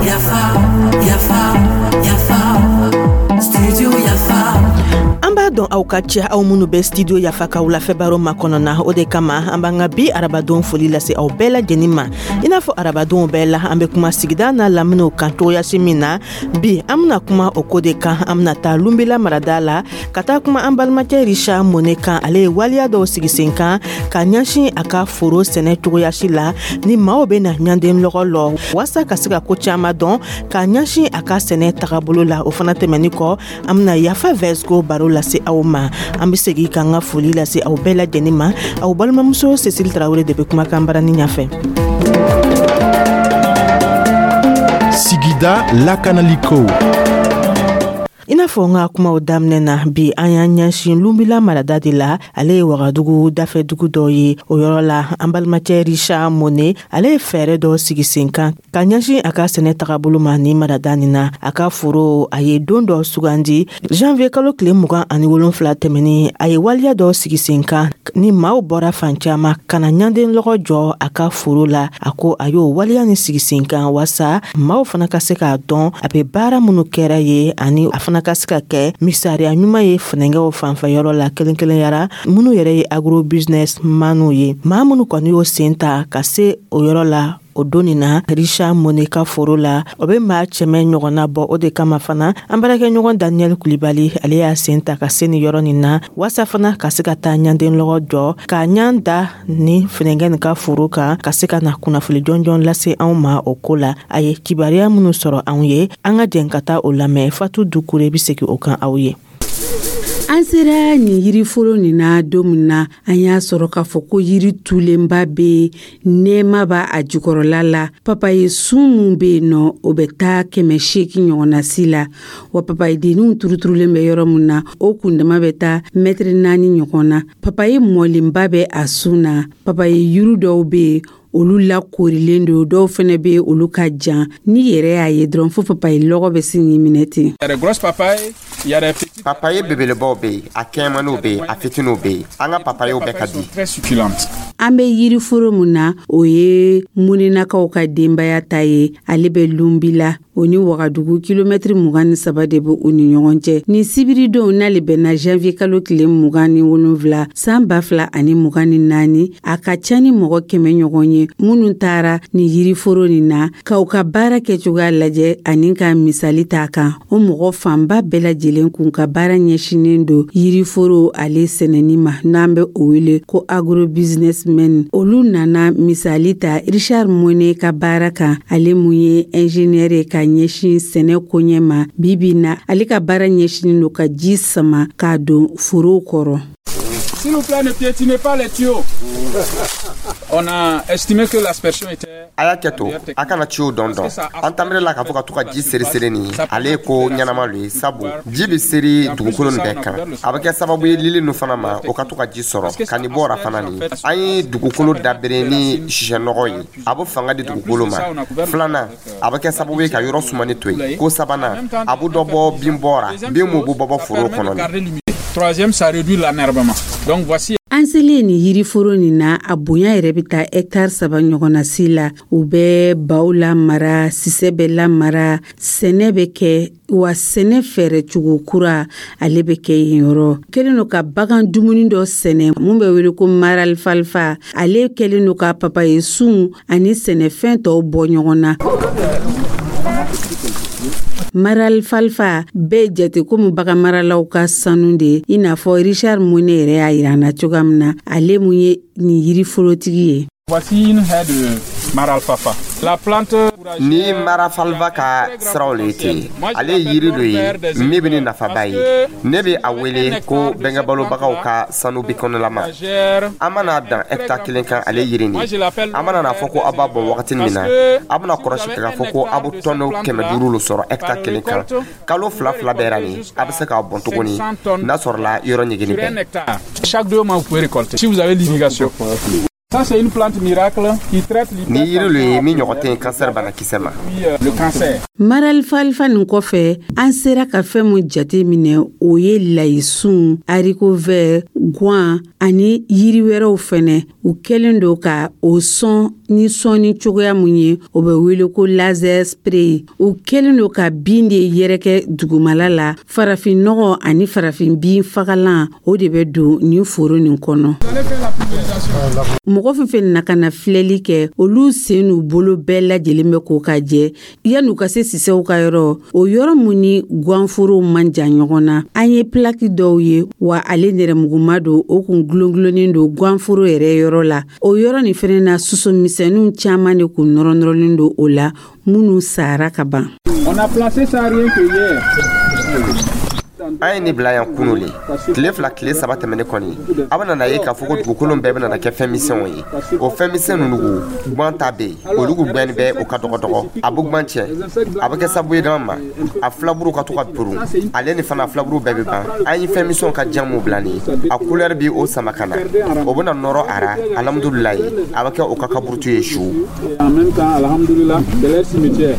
Yafa, yafa, yafa, studio Yafa. An b'a dɔn aw ka ca, aw minnu bɛ Studio Yafa ka wulafɛ baro makɔnɔ na. O de kama an b'an ka bi arabadon foli lase aw bɛɛ lajɛlen ma. I n'a fɔ arabadonw bɛɛ la, an bɛ kuma sigida n'a laminiw kan cogoyasi min na, bi an bɛna kuma o ko de kan. An bɛna taa Lunbila marada la ka taa kuma an balimakɛ Richard Mone kan. Ale ye waleya dɔw sigi sen kan ka ɲɛsin a ka foro sɛnɛ cogoyasi la, ni maaw bɛ na ɲanden lɔgɔ lɔ waasa ka se ka ko caman dɔn ka ɲɛsin a ka sɛnɛ tagabolo la. O fana tɛmɛni kɔ, an bɛna Yafa Vɛsco baro lase aw ma. An be segi k'an ka foli lase aw bɛɛ lajɛlen ma. Aw balimamuso Cécile Tarawele de be kumakan barani ɲafɛ. Sigida lakanaliko. I n'a fɔ n ka kumaw daminɛ na, bi an y'an ɲɛsin Lunbila marada de la. Ale ye Wagadugu dafɛdugu dɔ ye. O yɔrɔ la, an balimacɛ Richard Mone, ale ye fɛɛrɛ dɔ sigi sen kan ka ɲɛsin a ka sɛnɛ tagabolo ma ni marada nin na. A ka foro, a ye don dɔ sugandi, janvier kalo tile 27 tɛmɛni. A ye waleya dɔ sigi sen kan ni maaw bɔra fan caaman ka na ɲanden lɔgɔ jɔ a ka foro la. A ko a y'o waleya ni sigi sen kan waasa maaw fana ka se k'a dɔn a be baara minnu kɛra ye, ani a fana ka se ka kɛ misaliya ɲuman ye funɛngɛw fanfɛyɔrɔ la, kelen kelenyara minnu yɛrɛ ye agro business maniw ye. Maa minnu kɔni y'o sen ta ka se o yɔrɔ la o don nin na Richard Mone ka foro la, o bɛ maa 100 ɲɔgɔnna bɔ. O de kama fana, an baarakɛɲɔgɔn Daniel Kulibali, ale y'a sen ta ka se nin yɔrɔ nin na waasa fana ka se ka taa ɲanden lɔgɔ jɔ k'a ɲan da ni funɛngɛ nin ka foro kan, ka se ka na kunnafoni jɔnjɔn lase anw ma o ko la. A ye kibaruya minnu sɔrɔ anw ye, an ka jɛn ka taa o lamɛn. Fatu Dukure bɛ segin o kan aw ye. An sera nin yiriforo nin na don min na, an y'a sɔrɔ k'a fɔ ko yiri tulenba bɛ yen, nɛɛma b'a a jukɔrɔla la. Papaye sun mun bɛ yen nɔ, o bɛ taa 800 ɲɔgɔnna si la wa. Papaye denninw turuturulen bɛ yɔrɔ min na, o kundama bɛ taa mɛtiri 4 ɲɔgɔn na. Papaye mɔlenba bɛ a sun na. Papaye yiri dɔw bɛ yen, olu lakorilen don, dɔw fɛnɛ bɛ olu ka jan. N'i yɛrɛ y'a ye dɔrɔn, fo papaye lɔgɔ bɛ sin k'i minɛ ten. Papaye belebelebaw bɛ yen, a kɛɲɛmaniw bɛ yen, a fitininw bɛ yen. An ka papayew bɛɛ ka di. An bɛ yiriforo mun na, o ye Muninakaw ka denbaya ta ye. Ale bɛ Lunbila, o ni Wagadugu kilomɛtiri 23 de bɛ u ni ɲɔgɔn cɛ. Nin sibiridon, n'ale bɛnna janvier kalo tile 27 san 2024, a ka ca ni mɔgɔ 100 ɲɔgɔn ye minnu taara nin yiriforo nin na ka u ka baara kɛcogoya lajɛ ani ka misali t'a kan. O mɔgɔ fanba bɛɛ lajɛlen kun ka baara ɲɛsinnen don yiriforo ale sɛnɛni ma, n'an bɛ o wele ko agro businessmen. Olu nana misali ta Richard Mone ka baara kan, ale mun ye ingénieur ye ka ɲɛsin sɛnɛ koɲɛ ma. Bibi na, ale ka baara ɲɛsinnen don ka ji sama k'a don forow kɔrɔ. S'il vous plaît, ne piétinez pas les tuyaux. On a estimé que l'aspersion était. A y'a kɛ to, a kana ciw dɔn dɔn. An tanbere la k'a fɔ ka to ka ji seri seri nin, ale ye ko ɲɛnama lo ye, sabu ji bɛ seri dugukolo nin bɛɛ kan. A bɛ kɛ sababu ye lili nu fana ma, o ka to ka ji sɔrɔ ka nin bɔra fana. Nin an ye dugukolo dabere ni sisɛnɔgɔ ye, a bɛ fanga di dugukolo ma. Filanan, a bɛ kɛ sababu ye ka yɔrɔ sumani to yen. Ko sabanan, a bɛ dɔ bɔ bin bɔra, bin mun bɛ bɔ foro kɔnɔ. Troisième, ça réduit l'enherbement. Donc voici. An selen nin yiriforo nin na, a bonya yɛrɛ bɛ taa hɛtari 3 ɲɔgɔnna si la. U bɛ baw lamara, sisɛ bɛ lamara, sɛnɛ bɛ kɛ wa, sɛnɛ fɛɛrɛ cogo kura ale bɛ kɛ yen. Yɔrɔ kɛlen don ka bagan dumuni dɔ sɛnɛ mun bɛ wele ko maralifalifa. Ale kɛlen don ka papaye sun ani sɛnɛfɛn tɔw bɔ ɲɔgɔn na. Maralifalifa bɛɛ jate komi bagan maralaw ka sanu de ye, i n'a fɔ Richard Mone yɛrɛ y'a yira an na cogoya min na, ale mun ye nin yiriforotigi ye. Voici une haie de maralfafa. La plante. Ni marafalifa ka siraw le ten, ale ye yiri dɔ ye min bɛ ni nafaba ye. Ne bɛ a wele ko bɛnkɛbalobagaw ka sanu bikɔnɔlama. An mana dan hɛkitari kelen kan, ale yiri nin, an mana n'a fɔ ko aw b'a bɔn wagati min na, a bɛna kɔlɔsi k'a fɔ ko aw bɛ tɔnɔ 500 lo sɔrɔ hɛkitari kelen kan. Kalo 2 2 bɛɛ nin, a bɛ se k'a bɔn tuguni n'a sɔrɔla yɔrɔ ɲɛgɛnni bɛɛ. Chaque 2 mois, vous pouvez récolter. Si vous avez l'irrigation. Ça, c'est une plante miracle qui traite Ni yiri lo ye min ɲɔgɔn tɛ yen kansɛri banakisɛ ma. Le cancer. Maralifalifa nin kɔfɛ, an sera ka fɛn mun jate minɛ, o ye layisun, haricot vert, gwan ani yiri wɛrɛw fɛnɛ. U kɛlen don ka o sɔn ni sɔnni cogoya mun ye, o bɛ wele ko laser spray. U kɛlen don ka bin de yɛrɛkɛ dugumala la. Farafin nɔgɔ ani farafin bin fagalan, o de bɛ don nin foro nin kɔnɔ. Mɔgɔ fɛn fɛn na ka na filɛli kɛ, olu sen n'u bolo bɛɛ lajɛlen bɛ ko ka jɛ yan'u ka se sisɛw ka yɔrɔ. O yɔrɔ mun ni ganforow man jan ɲɔgɔn na, an ye pilaki dɔw ye wa, ale nɛrɛmuguma don, o kun gulongulonnen don ganforo yɛrɛ yɔrɔ la. O yɔrɔ nin fɛnɛ na, soso misɛnninw caman de kun nɔrɔ nɔrɔlen don o la, minnu sara ka ban. On a placé ça rien que hier. An ye nin bila yan kunu le. Tile 2, tile 3 tɛmɛnen kɔni, a bɛna na ye k'a fɔ ko dugukolo bɛɛ bɛna kɛ fɛn misɛnw ye. O fɛn misɛn ninnu, gwan ta bɛ yen, olu gbɛn bɛ o ka dɔgɔ dɔgɔ, a bɛ gwan tiɲɛ, a bɛ kɛ sababu ye dama ma a filaburu ka to ka burun. Ale ni fana, filaburu bɛɛ bɛ ban. An ye fɛn misɛnw ka jamu bila nin, a couleur bi o sama ka na, o bɛna nɔrɔ a ra. Alhamdulilayi, a bɛ kɛ o ka kaburutu ye su. En même temps, alhamdulillah, c'est leur cimetière.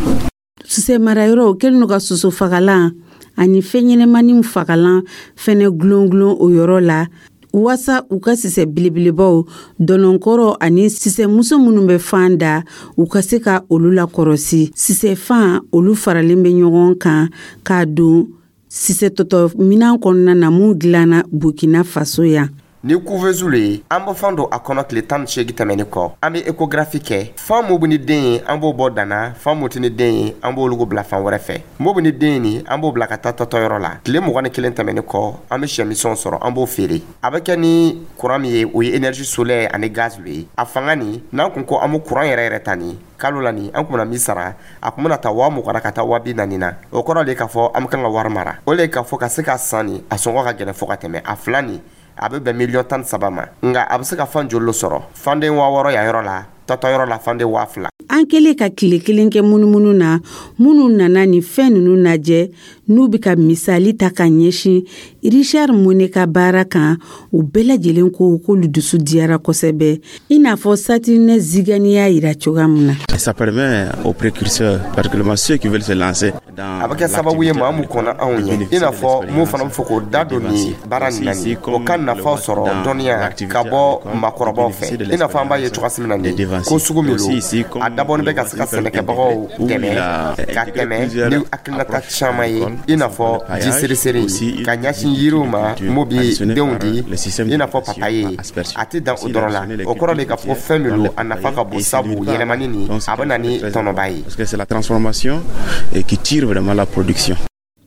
Sisɛ marayɔrɔ kɛlen don ka soso fagalan ani fɛn ɲɛnɛmaninw fagalan fɛnɛ gulon gulon o yɔrɔ la, waasa u ka sisɛ belebelebaw, dɔnɔnkɔrɔ ani sisɛmuso minnu bɛ fan da, u ka se ka olu lakɔrɔsi. Sisɛfan olu faralen bɛ ɲɔgɔn kan k'a don sisɛ tɔtɔ minan kɔnɔna na mun dilanna Burkina Faso yan. Ni couveuse le ye, an bɛ fan don a kɔnɔ. Tile 18 tɛmɛnen kɔ, an bɛ échographie kɛ. Fan mun bɛ ni den ye, an b'o bɔ danna. Fan mun tɛ ni den ye, an b'olu bila fan wɛrɛ fɛ. Mun bɛ ni den ye nin, an b'o bila ka taa tɔtɔyɔrɔ la. Tile 21 tɛmɛnen kɔ, an bɛ sɛmisɛnw sɔrɔ, an b'o feere. A bɛ kɛ ni courant min ye, o ye énergie solaire ani gaz le ye. A fanga nin, n'an kun ko an bɛ courant yɛrɛ yɛrɛ ta nin kalo la nin, an kun bɛna min sara, a kun bɛna taa 20 000 ka taa 40 000 na. O kɔrɔ de k'a fɔ an bɛ kan ka wari mara. O le ye k'a fɔ ka se ka san nin, a sɔngɔ ka gɛlɛn fo ka tɛmɛ. A fila nin, a bɛ bɛn miliyɔn 13 ma, nka a bɛ se ka fan joli sɔrɔ? Fanden 6000 yan yɔrɔ la, tɔtɔ yɔrɔ la, fanden 2000. An kɛlen ka tile kelen kɛ munumunu na, minnu nana nin fɛn ninnu lajɛ, n'u bɛ ka misali ta ka ɲɛsin Richard Mone ka baara kan, u bɛɛ lajɛlen ko k'olu dusu diyara kosɛbɛ, i n'a fɔ Saturnin Zigani y'a yira cogoya min na. Ça permet aux précurseurs, particulièrement ceux qui veulent se lancer dans A bɛ kɛ sababu ye maa mun kɔnna anw ɲɛ, i n'a fɔ mun fana bɛ fɛ k'o da don nin baara nin na nin, o ka nafa sɔrɔ dɔnniya ka bɔ maakɔrɔbaw fɛ, i n'a fɔ an b'a ye cogoya min na nin ko sugu min don, a dabɔnin bɛ ka se ka sɛnɛkɛbagaw dɛmɛ ka tɛmɛ ni hakilinata caman ye, i n'a fɔ ji seriseri ka ɲɛsin yiriw ma mun bi denw di, i n'a fɔ papaye. A tɛ dan o dɔrɔn la. O kɔrɔ de k'a fɔ fɛn min don, a nafa ka bon, sabu yɛlɛmani nin, a bɛ na ni tɔnɔba ye. Parce que c'est la transformation qui tire vraiment la production.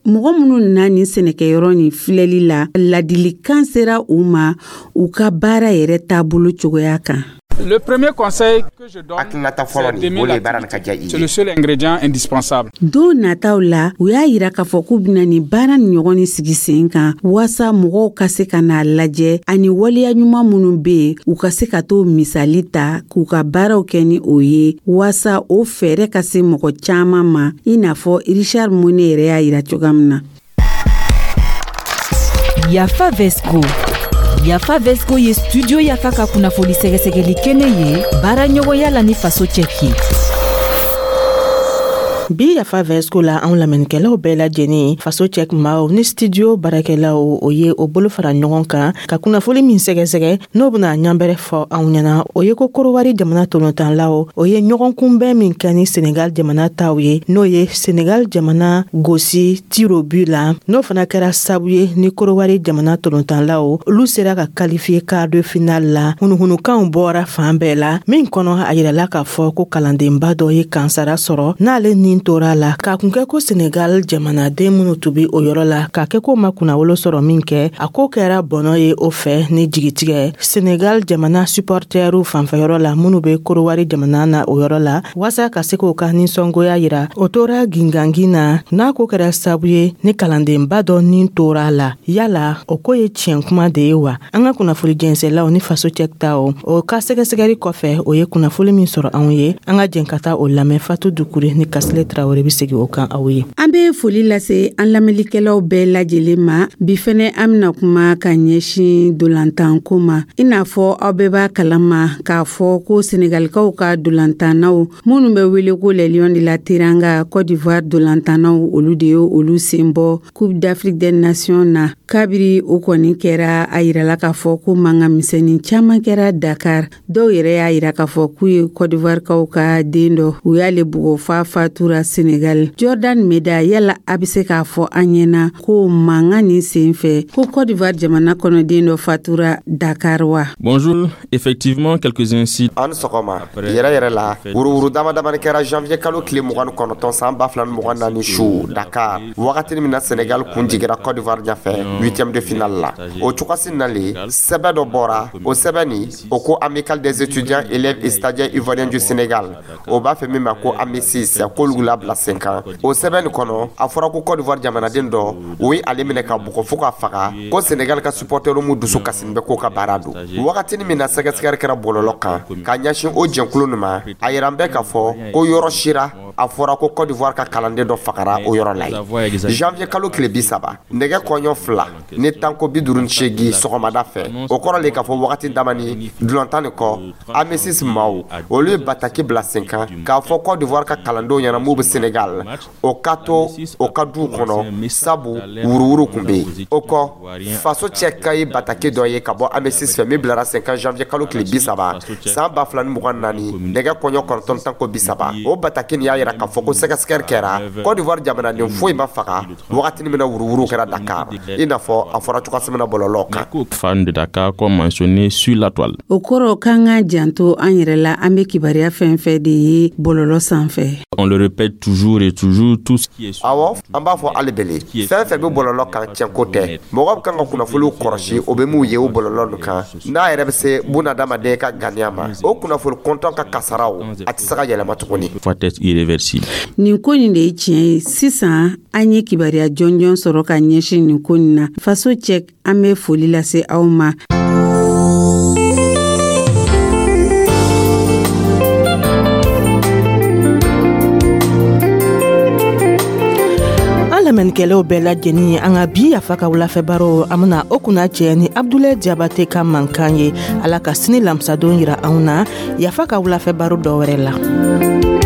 Mɔgɔ minnu nana nin sɛnɛkɛyɔrɔ nin filɛli la, ladilikan sera u ma u ka baara yɛrɛ taabolo cogoya kan. Le premier conseil que je donne, Hakilinata fɔlɔ nin, o de ye baara nin ka diya i ye. C'est le seul ingrédient indispensable. Don nataw la, u y'a yira k'a fɔ k'u bɛna nin baara ni ɲɔgɔn ni sigi sen kan, waasa mɔgɔw ka se ka n'a lajɛ ani waleya ɲuman minnu bɛ yen, u ka se ka t'o misali ta k'u ka baaraw kɛ ni o ye, waasa o fɛɛrɛ ka se mɔgɔ caman ma, i n'a fɔ Richard Mone yɛrɛ y'a yira cogoya min na. Yafa Vesco. Yafa Vesco ye Studio Yafa ka kunnafoni sɛgɛsɛgɛli kɛnɛ ye, baara ɲɔgɔnya la ni Faso Cɛki. Bi Yafa Vɛsco la, anw lamɛnnikɛlaw bɛɛ lajɛlen, Faso Cɛ maaw ni studio baarakɛlaw, o ye o bolo fara ɲɔgɔn kan ka kunnafoli min sɛgɛsɛgɛ, n'o bena ɲanbɛrɛ fɔ anw ɲɛna, o ye ko Korowari jamana tolontanlaw, o ye ɲɔgɔn kunbɛn min kɛ ni Senegal jamana taw ye, n'o ye Senegal jamana gosi tirs au but la, n'o fana kɛra sabu ye ni Korowari jamana tolontanlaw, olu sera ka qualifier quart de finale la. Hunuhunukanw bɔra fan bɛɛ la min kɔnɔ, a yirala k'a fɔ ko kalandenba dɔ ye kansara sɔrɔ, n'ale nin tora la k'a kun kɛ ko Senegal jamanaden minnu tun be o yɔrɔ la, k'a kɛ ko ma kunnawolo sɔrɔ min kɛ, a ko kɛra bɔnɔ ye o fɛ ni jigitigɛ Senegal jamana supportɛriw fanfɛyɔrɔ la, minnu be Korowari jamana na o yɔrɔ la, waasa ka se k'o ka ninsɔngoya yira. O tora gingangin na, n'a ko kɛra sabu ye ni kalandenba dɔ nin tora la. Yala o ko ye tiɲɛ kuma de ye wa? An ka kunnafoli jɛnsɛlaw ni Faso Cɛ taw, o ka sɛgɛsɛgɛli kɔfɛ, o ye kunnafoli min sɔrɔ anw ye, an ka jɛn ka taa o lamɛn Fatu Dukure ni Kasilɛ. Tarawele bɛ segin o kan aw ye. An bɛ foli lase an lamɛnnikɛlaw bɛɛ lajɛlen ma. Bi fɛnɛ, an bɛna kuma ka ɲɛsin dolantanko ma. I n'a fɔ aw bɛɛ b'a kalama k'a fɔ ko Senegalikaw ka dolantannaw minnu bɛ wele ko les Lions de la Teranga, Côte d'Ivoire dolantannaw, olu de ye olu sen bɔ Coupe d'Afrique des Nations na. Kabiri o kɔni kɛra, a yirala k'a fɔ ko mankan misɛnnin caman kɛra Dakar. Dɔw yɛrɛ y'a yira k'a fɔ k'u ye Côte d'Ivoire kaw ka den dɔ, u y'ale bugɔ f'a fatura Senegal. Jordan Meda, yala a bɛ se k'a fɔ an ɲɛna ko mankan nin sen fɛ ko Côte d'Ivoire jamana kɔnɔden dɔ fatura Dakar wa? Bonjour, effectivement, quelques incidents. An sɔgɔma. Yɛrɛ yɛrɛ la, wuruwuru dama damani kɛra janvier kalo tile 29 san 2024 su Dakar, wagatini min na Senegal kun jigira Côte d'Ivoire ɲɛfɛ huitième de finale la. O cogosi nalen, sɛbɛ dɔ bɔra. O sɛbɛ nin, o ko Amicale des étudiants, élèves et stagiaires ivoiriens du Sénégal, o b'a fɛ min ma ko AMECIS, k'olu labila sen kan. O sɛbɛn nin kɔnɔ, a fɔra ko Côte d'Ivoire jamanaden dɔ, o ye ale minɛ ka bugɔ fo ka faga, ko Sénégal ka supporter mu dusu kasini bɛ k'o ka baara don. Wagatini min na sɛgɛsɛgɛli kɛra bɔlɔlɔ kan ka ɲɛsin o jɛnkulu nin ma, a yira bɛɛ k'a fɔ ko yɔrɔ sira a fɔra ko Côte d'Ivoire ka kalanden dɔ fagara o yɔrɔ la yen. Janvier kalo tile 30, nɛgɛ kɔɲɔ 2:58 sɔgɔmada fɛ, o kɔrɔ le k'a fɔ wagati damani dulantan nin kɔ, AMECIS maaw, olu ye bataki bila sen kan k'a fɔ Côte d'Ivoire ka kalandenw ɲɛna m'u bɛ Sénégal, o ka to o ka duw kɔnɔ, sabu wuruwuru kun bɛ yen. O kɔ, faso cɛ ka ye bataki dɔ ye ka bɔ AMECIS fɛ min bilara sen kan janvier kalo tile 30 san 2024, nɛgɛ kɔɲɔ 9:30. O bataki nin y'a yira k'a fɔ ko sɛgɛsɛgɛli kɛra, Côte d'Ivoire jamanaden foyi ma faga wagatini min na wuruwuru kɛra Dakar, i n'a fɔ a fɔra cogoya min na bɔlɔlɔ kan. Fan de Dakar, comme mentionné sur la toile. O kɔrɔ k'an ka janto an yɛrɛ la, an bɛ kibaruya fɛn fɛn de ye bɔlɔlɔ sanfɛ. On le répète toujours et toujours, tout ce qui est Awɔ, an b'a fɔ hali bele, fɛn fɛn bɛ bɔlɔlɔ kan, tiɲɛko tɛ. Mɔgɔ bɛ kan ka kunnafoniw kɔrɔsi, o bɛ mun ye o bɔlɔlɔ nin kan, n'a yɛrɛ bɛ se bunadamaden ka ganiya ma, o kunnafoni kɔntɔn ka kasaraw, a tɛ se ka yɛlɛma tuguni. Va être irréversible. Nin ko nin de ye tiɲɛ ye. Sisan an ye kibaruya jɔnjɔn sɔrɔ ka ɲɛsin nin ko nin na. Faso cɛ, an bɛ foli lase aw ma. An lamɛnnikɛlaw bɛɛ lajɛlen, an ka bi Yafa ka wulafɛ baro, an bena o kunna cɛ ni Abdulayi Jabate ka mankan ye. Ala ka sini lamisadon yira anw na Yafa ka wulafɛ baro dɔ wɛrɛ la.